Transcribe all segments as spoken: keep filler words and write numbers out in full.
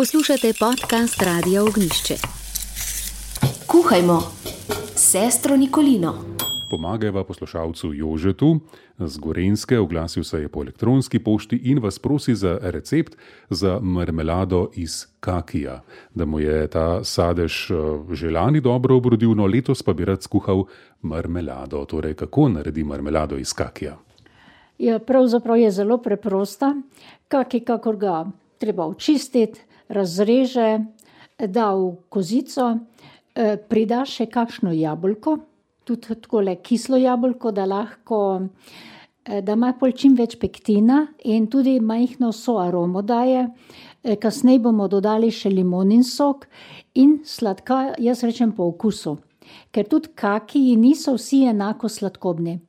Poslušate podcast Radia Ognišče. Kuhajmo s sestro Nikolino. Pomagajva poslušalcu Jožetu z Gorenjske, oglasil se je po elektronski pošti in vas prosi za recept za marmelado iz kakija. Da mu je ta sadež že lani dobro obrodil, no letos pa bi rad skuhal marmelado. Torej, kako naredi marmelado iz kakija? Ja, pravzaprav je zelo preprosta. Kaki, kakor ga treba očistiti, razreže, da v kozico, prida še kakšno jabolko, tudi takole kislo jabolko, da lahko, da ima pol čim več pektina in tudi majhno soaromo daje. Kasneje bomo dodali še limonin sok in sladka, jaz rečem po okusu. Ker tudi kakiji niso vsi enako sladkobni.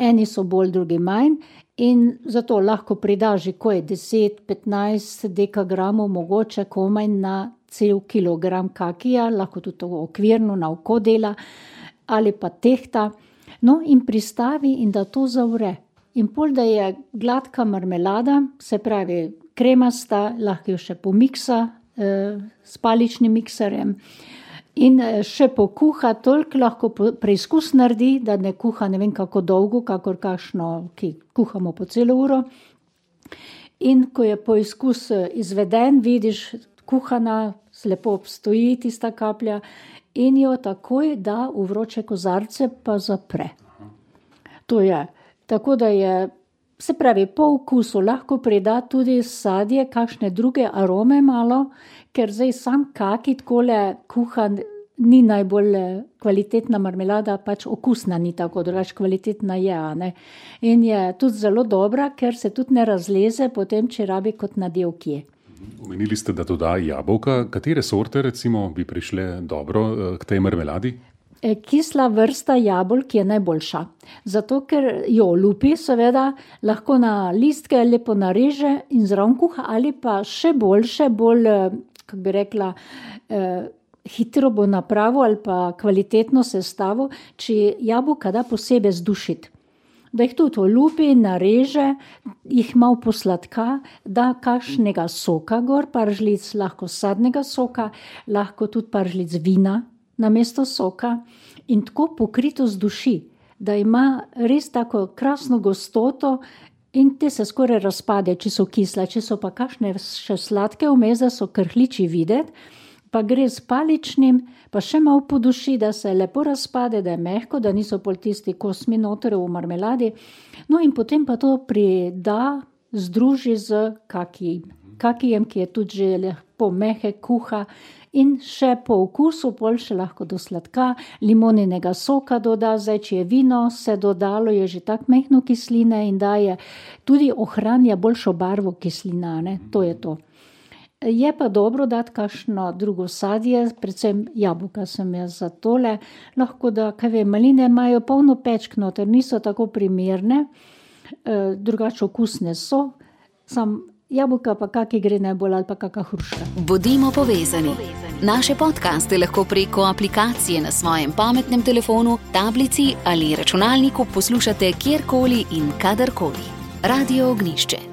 Eni so bolj, drugi manj in zato lahko prida že ko je deset, petnajst dekagramov, mogoče komaj na cel kilogram kakija, lahko tudi to okvirno na oko dela ali pa tehta, no in pristavi in da to zavre. In pol, da je gladka marmelada, se pravi kremasta, lahko jo še pomiksa eh, s paličnim mikserjem in še pokuha, toliko lahko preizkus naredi, da ne kuha ne vem kako dolgo, kakor kakšno, ki kuhamo po celo uro. In ko je poizkus izveden, vidiš, kuhana, lepo obstoji tista kaplja in jo takoj da v vroče kozarce pa zapre. To je. Tako da je, se pravi, po okusu lahko prida tudi sadje, kakšne druge arome malo, ker zdaj sam kaki takole kuhan ni najbolj kvalitetna marmelada, pač okusna ni tako, drugače kvalitetna je, a ne. In je tudi zelo dobra, ker se tudi ne razleze potem, če rabi kot nadelkje. Omenili ste, da doda jabolka. Katere sorte recimo bi prišle dobro k tej marmeladi? Kisla vrsta jabolk je najboljša. Zato, ker jo lupi, seveda, lahko na listke lepo nareže in zraven kuha, ali pa še boljše, bolj, kako bi rekla, eh, hitro bo napravo ali pa kvalitetno sestavo, če jabolka da posebej zdušiti. Da jih tudi olupi, nareže, jih malo posladka, da kakšnega soka gor, par žlic lahko sadnega soka, lahko tudi par žlic vina namesto soka in tako pokrito zduši, da ima res tako krasno gostoto in te se skoraj razpade, če so kisle, če so pa kakšne še sladke vmes, da so krhliči videti, pa gre s paličnim, pa še malo poduši, da se lepo razpade, da je mehko, da niso pol tisti kosmi noter v marmeladi. No in potem pa to prida, združi z kakijem. Kakijem, ki je tudi že lepo mehek, kuha in še po okusu, pol še lahko do sladka, limoninega soka doda, zdaj, če je vino, se dodalo, je že tak mehno kisline in daje, tudi ohranja boljšo barvo kislina, ne, to je to. Je pa dobro dati kakšno drugo sadje, predvsem jabolka sem jaz za tole, lahko da, kaj vem, maline imajo polno pečk noter, niso tako primerne, e, drugače okusne so, sam jabolka pa kaki gre najbolj ali pa kaka hruška. Bodimo povezani. Naše podcaste lahko preko aplikacije na svojem pametnem telefonu, tablici ali računalniku poslušate kjerkoli in kadarkoli. Radio Ognišče.